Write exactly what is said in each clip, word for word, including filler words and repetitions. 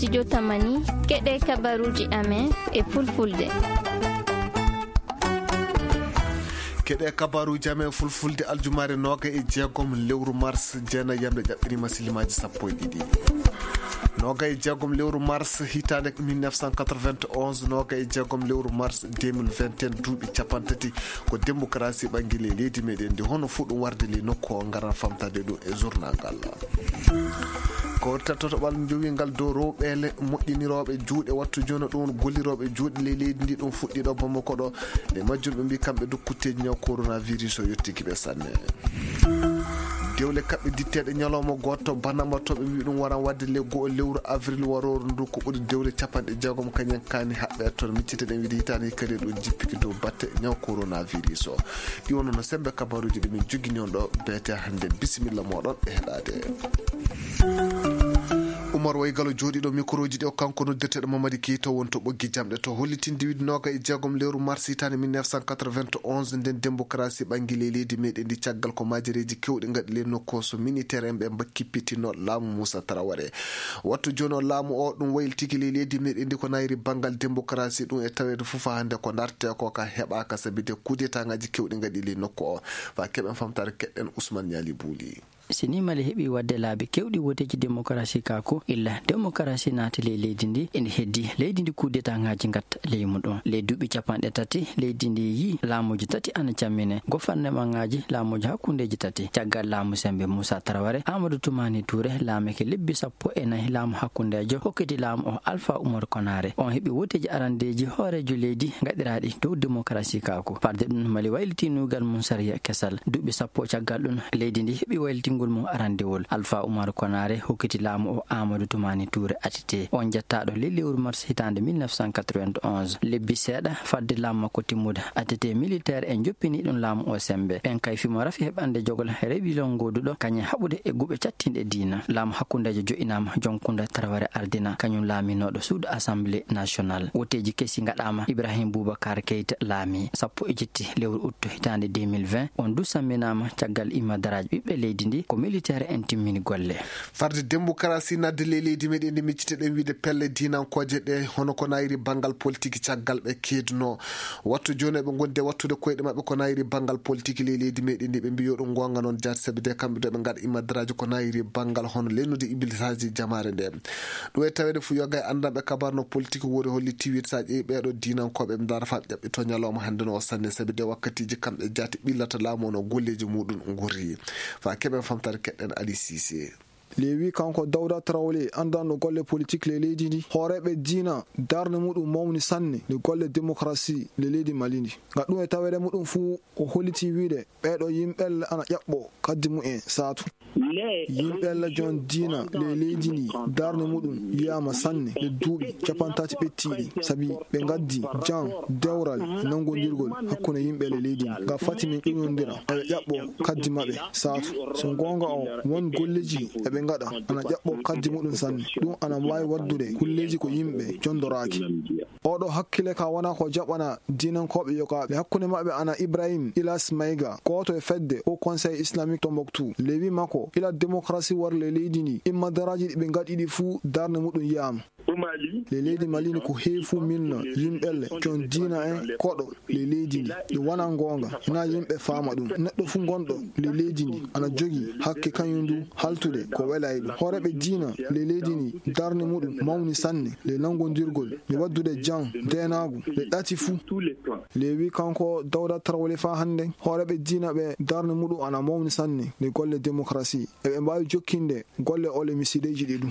Studio Tamani, keɗe kabaruuji amen e fulfulde. Keɗe kabaruuji amen fulfulde aljumaare noogay e jeegom lewru mars, jeenayyamre ƴaɓɓiriima silimaaji sappo e ɗiɗi. Noogay e jeegom lewru mars, hitaande mille neuf cent quatre-vingt-onze, noogay e jeegom lewru mars deux mille vingt et un, duuɓi cappanɗe tati ko démocratie ɓanngii ley leydi meɗen ndi. Hono fuu ɗum warde ley nokku o, ngaran famtaade ɗum e journal ngal. Ko woni toɓɓal njowiingal dow rewɓe le-, moƴƴinirooɓe juuɗe, wattu jooni ɗum gollirooɓe juuɗe ley leydi ndi, ɗum fuɗɗii ɗo Bamako ɗo. Nde majjum ɓe mbii kamɓe du kutteeji ñaw coronavirus o yottiiki ɓe sanne. Dewle kaɓɓe ditteeɗe ñalawma gooto, banama to ɓe mbii ɗum waran waɗde le go'o lewru avril warooru ndu, ko ɓuri dewle cappanɗe jeegom kañen kaani haɓɓe toon. Miccite ɗen wiide hitaande hikka ɗo jippiki dow batte ñaw coronavirus o. Ɗi wonno no semmbe kabaruuji ɗi min jogini on ɗo beete hannde. Bisimilla mooɗon e heɗaade. Umar Waygalo jooɗiiɗo mikroji ɗi o kanko noddirteeɗo Mamadi Keita woni to ɓoggi jamɗe to hollitinde wiide noogay e jeegom lewru mars hitaande mille neuf cent quatre-vingt-onze, nden démocratie ɓanngii ley leydi meɗen ndi caggal ko majareeji kewɗi ngaɗi ley nokku o, so militaire en ɓe mba-, kippitino laamu Moussa Traoré. Wattu jooni o laamu o ɗum waylitiki ley leydi meɗen ndi ko nayri banngal démocratie ɗum e taweede fof hannde ko dartee ko ka heɓaaka sabi de coup d'état ngaji kewɗi ngaɗi ley nokku o. Fa keɓen famtaare keɗɗen Ousmane Niali Bouli. Si ni Mali heɓi waɗde laabi kewɗi woteeji demokarasi ka ko illa demokarasi naati ley leydi ndi, ene heddi leydi ndi coup d'état ngaji ngatta ley muɗum. Ley duuɓi cappanɗe tati, leydi ndi yii laamuji tati ana cammine, gofarnemaŋaaji laamuji hakkundeji tati. Caggal laamu sembe Moussa Traoré, Amadou Toumani Touré laamike lebbi sappo e nayi laamu hakkundejo, hokkiti laamu o Alpha Oumar Konaré. On heɓi woteeji arandeji hoorejo leydi gaɗiraaɗi dow demokarasi ka ko. Farde ɗum, Mali wayliti nuugal mum sariya kesal. Duuɓi sappo caggal ɗum, leydi ndi heɓi waylitingol mum arandewol. Alpha Oumar Konaré hokkiti laamu o Amadou Toumani Touré A T T. On jettaaɗo ley lewru mars hitaande mille neuf cent quatre-vingt-onze. Lebbi seeɗa fadde laamu makko timmude, A T T militaire en joppini ɗum laamu o sembe. Ɓen kay fimo rafi heɓande jogol rebilon goduɗo kañe haɓude e guɓe cattinɗe diina. Laamu hakkundejo jo'inaama, Jonkunda Traoré ardina, kañum laaminooɗo suudu Assemblée nationale. Woteeji kesi ngaɗaama, Ibrahim Boubacar Keita laami sappo e jetti lewru août hitaande deux mille vingt. On du samminaama caggal immadaraaji ɓiɓɓe leydi ndi, ko militaire en timmini golle. Farde demokarasi nadde ley leydi meɗen ndi, miccite ɗen wiide pelle diinankooje ɗe, hono ko nayri banngal politiki caggal ɓe keedunoo. Wattu jooni eɓe ngondi e wattude koyɗe maɓɓe ko nayri banngal politiki ley leydi meɗen ndi, ɓe mbii yo ɗum ngoonga noon jaati, sabi de kamɓe de ɓe ngaɗa immadaraaji ko nayri banngal hono lennude ibilsaaji jamaare nde. Ɗum e taweede fuu yoga e anndanɓe kabaar no politiki wori holli tiwit sa ƴeewi ɓeeɗo diinankooɓe ɓe ndaara fa ɓe ƴaɓɓi to ñalawma hannde no o sanne, sabi de wakkatiiji kamɓe jaati ɓillata laamu o no golleeji muɗum ngurri. Fa keɓen famtaare keɗɗen Ali Cissé. Lewi kanko Dawda Traoré, anndanɗo golle politik ley leydi ndi, hooreeɓe diina darnde muɗum mawni sanne nde golle démocratie ley leydi Mali ndi. Ngam ɗum e taweede muɗum fuu o holliti wiide ɓeeɗo yimɓe ana ƴaɓɓo kaddi mumen saatu. Yimɓe Allah jon diina ley leydi ndi darnde muɗum yiyaama sanne nde duuɓi cappanɗe tati ɓettiiɗi, sabi ɓe ngaddi jam, dewral, nanngondirgol hakkunde yimɓe ley leydi ndi. Ngam fati min ƴuñondira, eɓe ƴaɓɓo kaddi maɓɓe saatu. So goonga o, won golleeji eɓe ngaɗa ana ƴaɓɓo kaddi muɗum sanne. Ɗum ana waawi waɗdude kulleeji ko yimɓe jondoraaki. Oɗo hakkile ka wona ko jaɓana diinankooɓe yogaaɓe. Hakkunde maɓɓe ana Ibrahim Ilas Maïga, gooto e fedde Haut Conseil Islamique Tombouctou. Lewi makko, ila démocratie war ley leydi ndi, immadaraaji ɗi ɓe ngaɗi ɗi fuu darnde muɗum yiyaama. Ley leydi Mali ni ko heewi fuu milno yimɓelle, jon diina en, koɗo ley leydi ndi. Ɗum wona goonga, hinaa yimɓe faama ɗum. Neɗɗo fuu gonɗo ley leydi ndi ana jogii hakke kañum du haltude ko welaay ɗum. Hooreeɓe diina ley leydi ndi darnde muɗum mawni sanne ley nanngondirgol, e waɗdude jam, deenaagu, ley ɗati fuu. Lewi kanko Dawda Traoré fa hannde, hooreeɓe diina ɓe darnde muɗum ana mawni sanne ley golle démocratie. Eɓe mbaawi jokkinde golle ole misiideeji ɗi ɗum.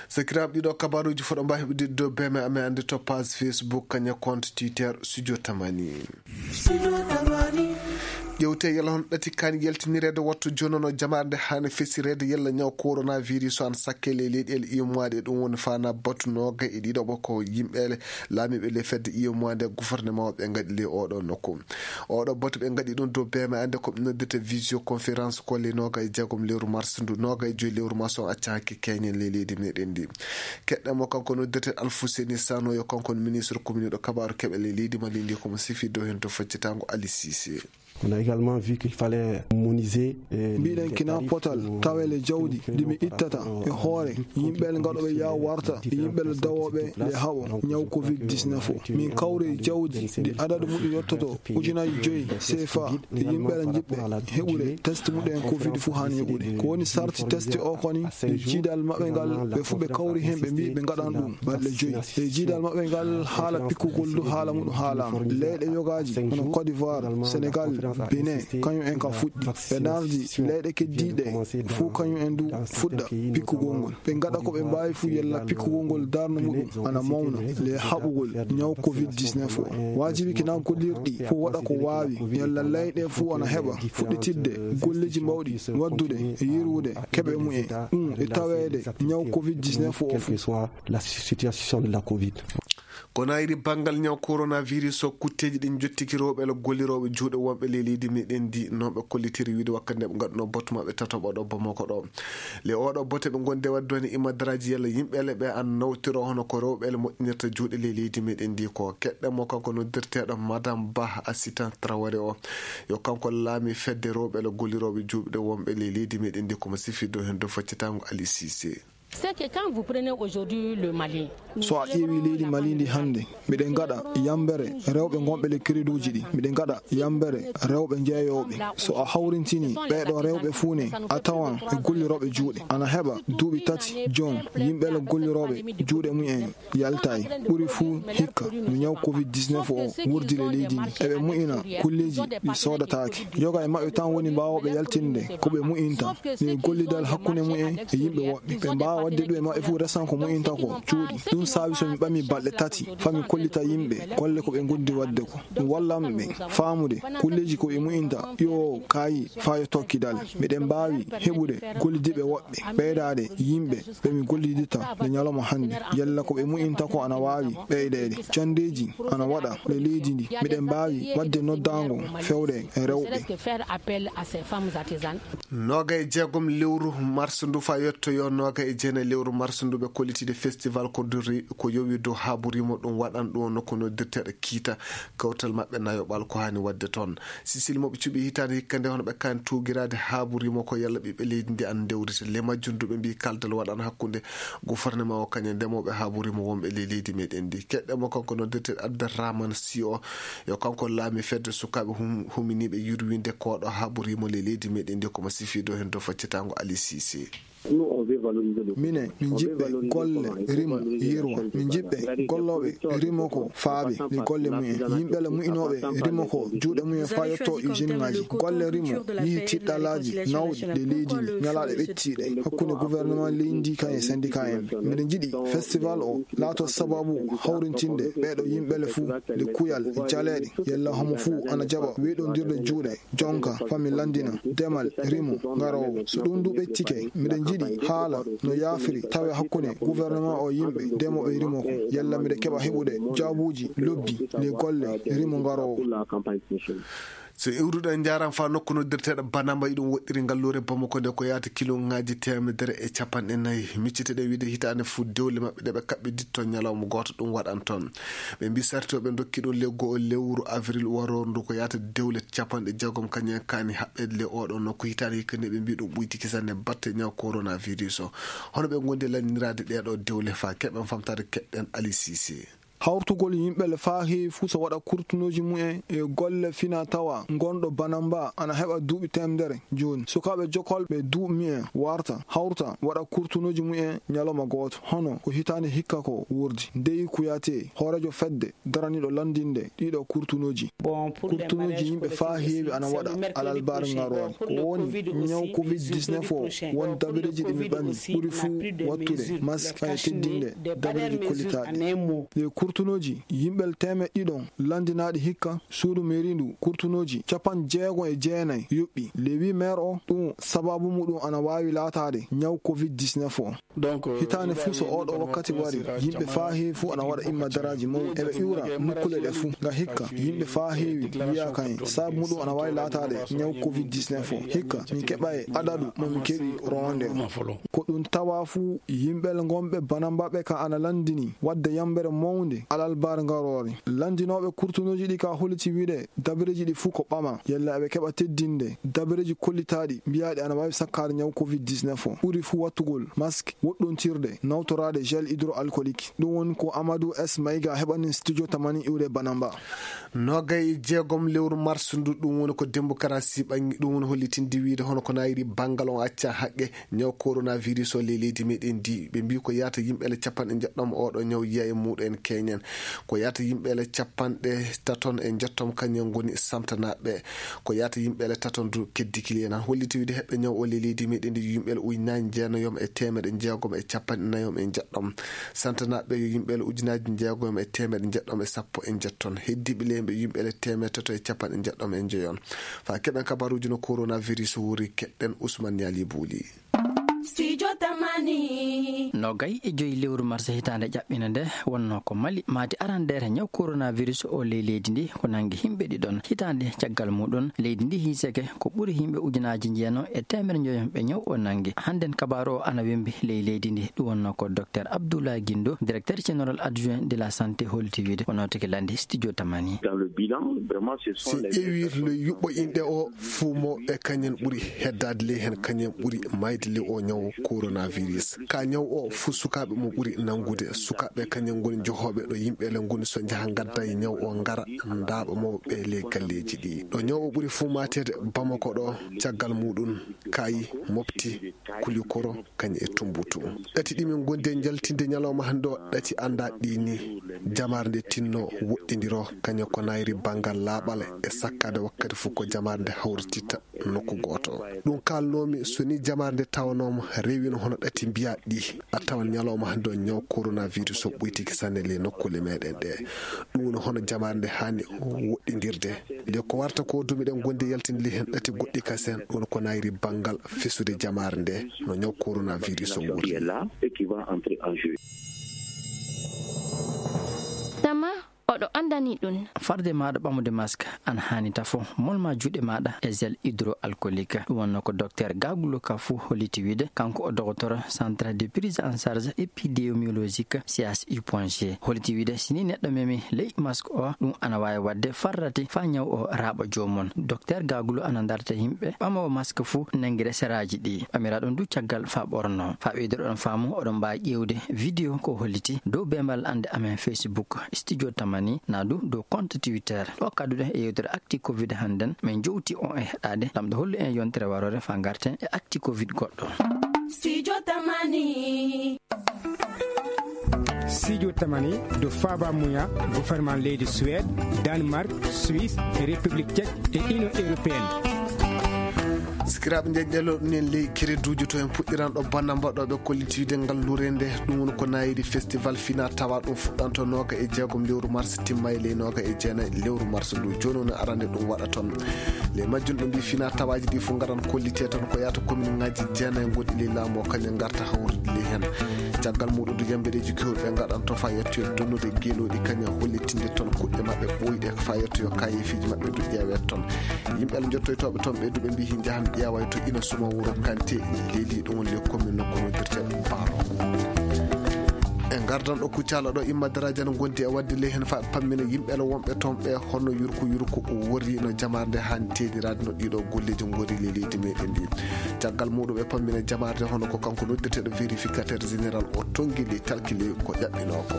Sakiraaɓe, ɗiɗo kabaruuji fof ɗo mbaawi heɓude dow B M A amen annde to page Facebook, kañum e compte Twitter Studio Tamani. Ƴewte yalla hono ɗati kaani yaltinireede wattu jooni no jamaare nde haani fesireede yalla ñaw coronavirus o ana sakke ley leyɗeele immaaɗe, ɗum woni faana batu noogay e ɗiɗo ɓo ko yimɓe laamiiɓe ley fedde immaaɗe gouvernement o ɓe ngaɗi ley oɗo nokku. Oɗo batu ɓe ngaɗi ɗum dow B M A annde ko ɓe noddirta visioconférence ko ley noogay e jeegom lewru mars ndu, noogay e joyi lewru mars o acca hakke keñen ley leydi meɗen ndi. Keɗɗen mo kanko noddirte Alfousseni Sanoyo, kanko ministre communiɗo kabaaru keɓe ley leydi Mali ndi, ko mo sifi dow hen to faccitango Ali Cissé. On a également vu qu'il fallait harmoniser, euh, mbiɗen les kina tarifs potal pour tawele jawdi ndi mi ittata e hoore yimɓe le ngaɗoɓe yaw warta e yimɓe le dawooɓe le haɓo ñaw covid dix-neuf o. Min kawri e jawdi ndi adadu muɗum yottoto ujunaji joyi cfa e yimɓe le jiɓɓe heɓude test muɗum en covid fof haani yoɓude. Ko woni sarti test o koni e jiidal maɓɓe ngal, ɓe fof ɓe kawri heen, ɓe mbi ɓe ngaɗan ɗum balɗe joyi. E jiidal maɓɓe ngal, haala pikkugol du haala muɗum haalaama. Leyɗe yogaaji hono Côte d'Ivoire, Sénégal, Bénin, kañum en ka fuɗɗi. Ɓe nardi leyɗe keddiiɗe fof, kañum en du fuɗɗa pikkugol ngol. Ɓe ngaɗa ko ɓe mbaawi fof yalla pikkugol ngol darna muɗum ana mawna le haɓugol ñaw covid dix-neuf o. Waajibi kina gollirɗi fof waɗa ko waawi yalla leyɗe fof ana heɓa fuɗɗitirde golleji mawɗi waddude e yirwude keɓe mumen. Ɗum e taweede ñaw covid dix-neuf o fof. Quelle que soit la situation de la covid. Kono ayri banngal ñaw coronavirus o, kutteeji ɗin jottiki rewɓe le gollirooɓe juuɗe wonɓe ley leydi meɗen ndi, non ɓe kollitiri wiide wakkati nde ɓe ngaɗuno botte maɓɓe tatoɓo ɗo Bamako ɗo. Le oɗo botte ɓe ngondi wadde woni imadaraaji yalla yimɓe le ɓe an nawtiro hono ko rewɓe le moƴƴinirta juuɗe ley leydi meɗen ndi ko keɗɗe mo kanko noddirteeɗo Madame Bah Assistance Traoré o. Yo kanko laami fedde rewɓe le gollirooɓe juuɗe wonɓe ley leydi meɗen ndi, komo sifirɗo heen dow faccitaango Ali Cissé. C'est que quand vous prenez aujourd'hui le Mali, so a ƴeewi leydi Mali ndi hannde, miɗen ngaɗa yambere rewɓe ngonɓe le créduji ɗi, miɗen ngaɗa yambere rewɓe jeeyooɓe. So a hawrintini ɓeeɗo rewɓe fuu ne, a tawan e gollirooɓe juuɗe ana heɓa duuɓi tati joom yimɓe le gollirooɓe juuɗe mumen yaltaay. Ɓuri fuu hikka no ñaw covid dix-neuf o wurdi le leydi ndi, eɓe mu'ina kulleeji ɗi soodataake. Yoga e maɓɓe tan woni mbaawooɓe yaltinde ko ɓe mu'inta e gollidal hakkunde mumen e yimɓe woɓɓe. Ɓe mbaawa waɗde ɗum e maɓɓe fof resan ko mu'inta ko cuuɗi. Ɗum saabi so mi ɓami balɗe tati faa mi kollita yimɓe golle ko ɓe ngondi waɗde ko. Ɗum wallan ɓe faamude kulleeji ko ɓe mu'inta yo kaayi faa yo tokkidal. Miɗen mbaawi heɓude gollidiiɓe woɓɓe, ɓeydaade yimɓe ɓe mi golliditta nde ñalawma hannde. Yalla ko ɓe mu'inta ko ana waawi ɓeydeede. Janndeeji ana waɗa le leydi ndi. Miɗen mbaawi waɗde noddaango fewde e rewɓe. Noga e jeegom lewru mars ndu faa yettoyo noga e jeenayi lewru mars ndu ɓe kollitiiɗe festival ko duri ko yowi dow haaburimo ɗum waɗan ɗum no ko noddirteeɗo kiita kawtal maɓɓe nayoɓal ko haani waɗde toon. Sisil moɓe cuɓi hitaande hikka nde hono ɓe kaani tuugiraade haaburimo ko yalla ɓiɓɓe leydi ndi an ndewrita le majjum ndu ɓe mbi kaldal waɗan hakkunde gouvernement o kañe ndemooɓe haaburimo wonɓe ley leydi meɗen ndi. Keɗɗe mo kanko noddirteeɗo Abderrahmane Si o. Yo kanko laami fedde sukaaɓe hum-, huminiiɓe yurwinde koɗo haɓorimo le leydi meɗen ndi komo sifiiɗo heen dow faccitaango Ali Cissé. Minen, min jiɓɓe golle rimo yirwa. Min jiɓɓe gollooɓe rimo ko faabe le golle mumen. Yimɓe le mu'inooɓe rimo ko juuɗe mumen faa yetto usine ŋaaji. Golle rimo yihi tiɗɗalaaji nawɗi le leydi ndi, ñalaaɗe ɓettiiɗe hakkunde gouvernement leydi ndi kan e syndicat en. Miɗen jiɗi festival o laato sababu hawrintinde ɓeeɗo yimɓe le fuu le kuyal jaleeɗe, yalla homo fuu ana jaɓa weeɗondirde juuɗe, jonka, fami lanndina, demal, rimo, ngaroowo. So ɗum du ɓettike, miɗen jiɗi haala no yaafiri tawe hakkunde gouvernement o yimɓe demoɓe rimo ko, yalla miɗe keɓa heɓude jaabuuji lobbi le golle rimo ngaroowo. So iwruɗen njaran faa nokku noddirteeɗo Banamba, iɗum woɗɗiri ngalluure Bamako nde ko yaata kilo ŋaaji teemedere e capanɗe nayi. Micciteɗen wiide hitaande fuu dewle maɓɓe ɗe ɓe kaɓɓi ditto ñalawma gooto ɗum waɗan toon. Ɓe mbi sartooɓe ndokki ɗum le go'o lewru avril warooru ndu ko yaata dewle capanɗe jeegom kañum en kaani haɓɓeede le oɗo nokku hitaande hikka nde ɓe mbi ɗum ɓuyti kisan e batte ñaw coronavirus o. Hono ɓe ngondi lanniraade ɗeeɗo dewle faa keɓen famtaade keɗɗen Ali Cissé. Hawrtugol yimɓe le faa heewi fuu so waɗa kurtunooji mumen e golle fina tawa ngonɗo Banamba ana heɓa duuɓi teemedere jooni. Sukaaɓe jokolɓe duuɓi mumen warta hawrta waɗa kurtunooji mumen ñalawma gooto. Hono ko hitaande hikka ko wurdi. Deyi Kuyate, hooreejo fedde daraniiɗo lanndinde ɗiɗo kurtunooji. Kurtunooji yimɓe faa heewi ana waɗa alalbaar ngaroowo. Ko woni ñaw covid dix-neuf o won dabareeji ɗi mi ɓami ɓuri fuu wattude mask e teddinde dabareeji kollitaaɗi. Ɗi kurtunooji yimɓe teemeɗɗe ɗiɗon lanndinaaɗi hikka suudu mairie ndu kurtunooji capanɗe jeegom e jeenayi yoɓɓi. Le huit maire o ɗum sababu muɗum ana waawi laataade ñaw covid dix-neuf o. Hitaande fuu so ooɗoo wakkati wari, yimɓe faa heewi fuu ana waɗa immadaraaji mawɗi. Eɓe iwra nokkuule ɗe fuu. Nga hikka, yimɓe faa heewi wiyaaka en. Sabu muɗum ana waawi laataade ñaw covid dix-neuf o. Hikka, min keɓa e adadu mo min keɓi rowande o. Ko ɗum tawa fuu, yimɓe le ngonɓe Banamba ɓe ka ana lanndini waɗde yambere mawnde Alalbar ngaroore, lanndinooɓe kurtunooji ɗi ka holliti wiyde dabareeji ɗi fuu ko ɓama, yalla eɓe keɓa teddinde dabareeji kollitaaɗi mbiyaaɗi ana waawi sakkaade ñaw covid dix-neuf o, ɓuri fuu wattugol masque, woɗɗontirde, nawtoraade gel hydroalcoolique. Ɗum woni ko Amadou S Maïga heɓani studio Tamani iwde Banamba. Noogay e jeegom lewru mars ndu, ɗum woni ko démocratie ɓangi, ɗum woni hollitinde wiyde hono ko nayri banngal on acca haqqe ñaw coronavirus o ley leydi meɗen ndi. Ɓe mbi ko yaata yimɓe ele capanɗe njeɗɗom oɗo ñaw yiya e muɗen keñen. Ko yaata yimɓe ele capanɗe taton e njettom kañum ngoni santanaɓe. Ko yaata yimɓe ele taton du keddikili en. Holliti wiyde heɓɓe ñaw o ley leydi meɗen ndi yimɓe ele ujunaaji jeenayom e teemeɗe jeegom e capanɗe nayom e njeɗɗom. Santanaɓe yo yimɓe ele ujunaaji jeegom e teemeɗe njeɗɗom e sappo e njetton. Heddiɓe ley ɓe yimɓe ele teemeɗe tato e capanɗe njeɗɗom e njeyon. Fa keɓen kabaruuji no coronavirus wuri, keɗɗen Ousmane Niali Bouli. Studio Tamani. Nogay e joyi lewru mars hitaande ƴaɓɓina nde wonno ko Mali maati arandeere ñaw coronavirus o ley leydi ndi ko nangi yimɓe ɗiɗon. Hitaande caggal muɗum leydi ndi hiiseke ko ɓuri yimɓe ujunaaji njeeno e teemeɗe njoyon ɓe ñaw o nangi. Hannden kabaaru o ana wembi ley leydi ndi. Ɗum wonno ko Docteur Abdoulaye Guindo, directeur général adjoint de la santé, holti wiyde o nawtike lande studio Tamani. Dans le bilan, vraiment, ce sont si les ƴeewir le yuɓɓo inɗe o fuu mo e kañen ɓuri heddaade ley heen, kañen ɓuri mayde ley o ñaw coronavirus. Ka ñaw o fuu sukaaɓe mo ɓuri nanngude. Sukaaɓe kañen ngoni jehooɓe ɗo yimɓe ele ngoni so njaha ngadda e ñaw o ngara ndaaɓa mawɓe ley galleeji ɗi. Ɗo ñaw o ɓuri fuu maateede Bamako ɗo, caggal muɗum Kayi, Mopti, Kulikoro, kañum e Tumbutu. Ɗati ɗi min ngondi e njaltinde ñalawma hannde o, ɗati anndaa ɗi ni. Jamaare nde tinno woɗɗindiro, kañum ko nayri banngal laaɓal e sakkaade wakkati fof ko jamaare nde hawrititta nokku gooto. Ɗum kaalnoomi, so ni jamaare nde tawanooma rewino hono ɗati mbiyaa ɗi, a tawan ñalawma hannde o ñaw coronavirus o ɓuytiki sanne ley nokkuule meɗen ɗe. Ɗum woni hono jamaare nde haani woɗɗindirde. Nde ko warta ko du miɗen gondi yaltinde ley heen ɗati goɗɗi kasen, ɗum ko nayri banngal fesude jamaare nde no ñaw coronavirus o wuri. Tama oɗo anndani ɗum. Farde maɗa ɓamude masque an haani tafo, molma juuɗe maɗa e gel hydroalcoolique. Ɗum wonno ko docteur Gagulo Kafou holliti wiyde, kanko o docteur centre de prise en charge épidémiologique C H U point G. Holliti wiyde, si ni neɗɗo memi ley masque o, ɗum ana waawi waɗde farrati faa ñaw o raaɓa joomum. Docteur Gagulo ana darta yimɓe ɓamoowo masque fuu nanngira seraaji ɗi. Ɓamira ɗum du caggal faa ɓorno. Faa ɓeyduɗon faamu, oɗon mbaawi ƴeewde vidéo ko holliti dow beembal annde amen Facebook, Studio Tamani, naa du dow compte Twitter. Ɗo kadduɗen e yewtere Actu Covid hannden, min jowti on e heɗaade, lamɗo hollu en yontere waroore faa ngarten e Actu Covid goɗɗo. Studio Tamani. Studio Tamani, do faaba muya, gouvernement leydi Suède, Danemark, Suisse, République Tchèque et Union Européenne. Sikiraaɓe, nde ƴeelo ɗum en ley crédit uji to en puɗɗiran ɗo bannda mbaɗɗooɓe kollitiiɗe ngal lurende. Ɗum woni ko nayiri festival fina tawa ɗum fuɗɗanto nooga e jeegom lewru mars, timma e ley nooga e jeenayi lewru mars ndu. Jooni woni arande ɗum waɗa toon. Ley majjum ɗo mbi fina tawaaji ɗi fof ngaran kollite toon ko yahata commune ngaji jeenayi gonɗi ley laamu o, kañum ngarta hawrude ley heen. Caggal muɗum du yambereeji kewɗi ɓe ngaɗanto fa yettoyo donnude geelooɗi kañum hollitinde toon kuɗɗe maɓɓe ɓooyɗe fa yettoyo kayeefiiji maɓɓe du ƴeewee toon. Yimɓe Allah jottoytooɓe toon ɓe du ɓe mbi hin njahan ƴeewayo to ina suma wuro Kante leli ɗum woni le commune nokku noddirte Baro. E ngardan ɗo Kuccala ɗo imma daraaji ana ngondi e waɗde ley heen fa pammina yimɓe ala wonɓe toon ɓe hono yurko yurko o worri no jamaare nde haani teeɗiraade no ɗiɗo golleeji ngori ley leydi meɗen ndi. Caggal muɗum e pammina jamaare nde hono ko kanko noddirteeɗo vérificateur général o tonngi ley talki ley ko ƴaɓɓinoo ko.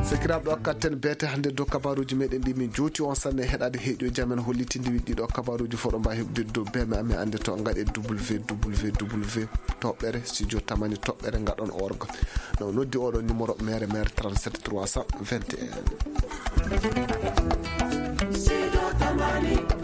Sakiraaɓe, ɗo katten beete hannde dow kabaruuji meɗen ɗi min jowti on sanne heɗaade heɗiyo jamen hollitinde wi ɗiɗo kabaruuji fof ɗo mbawi heɓde dow beme amen annde to ngaɗe W W W toɓɓere studio tamani toɓɓere ngaɗon org. No noddi oɗo numéro mere mere trente-sept trois cent vingt et un. Studio Tamani.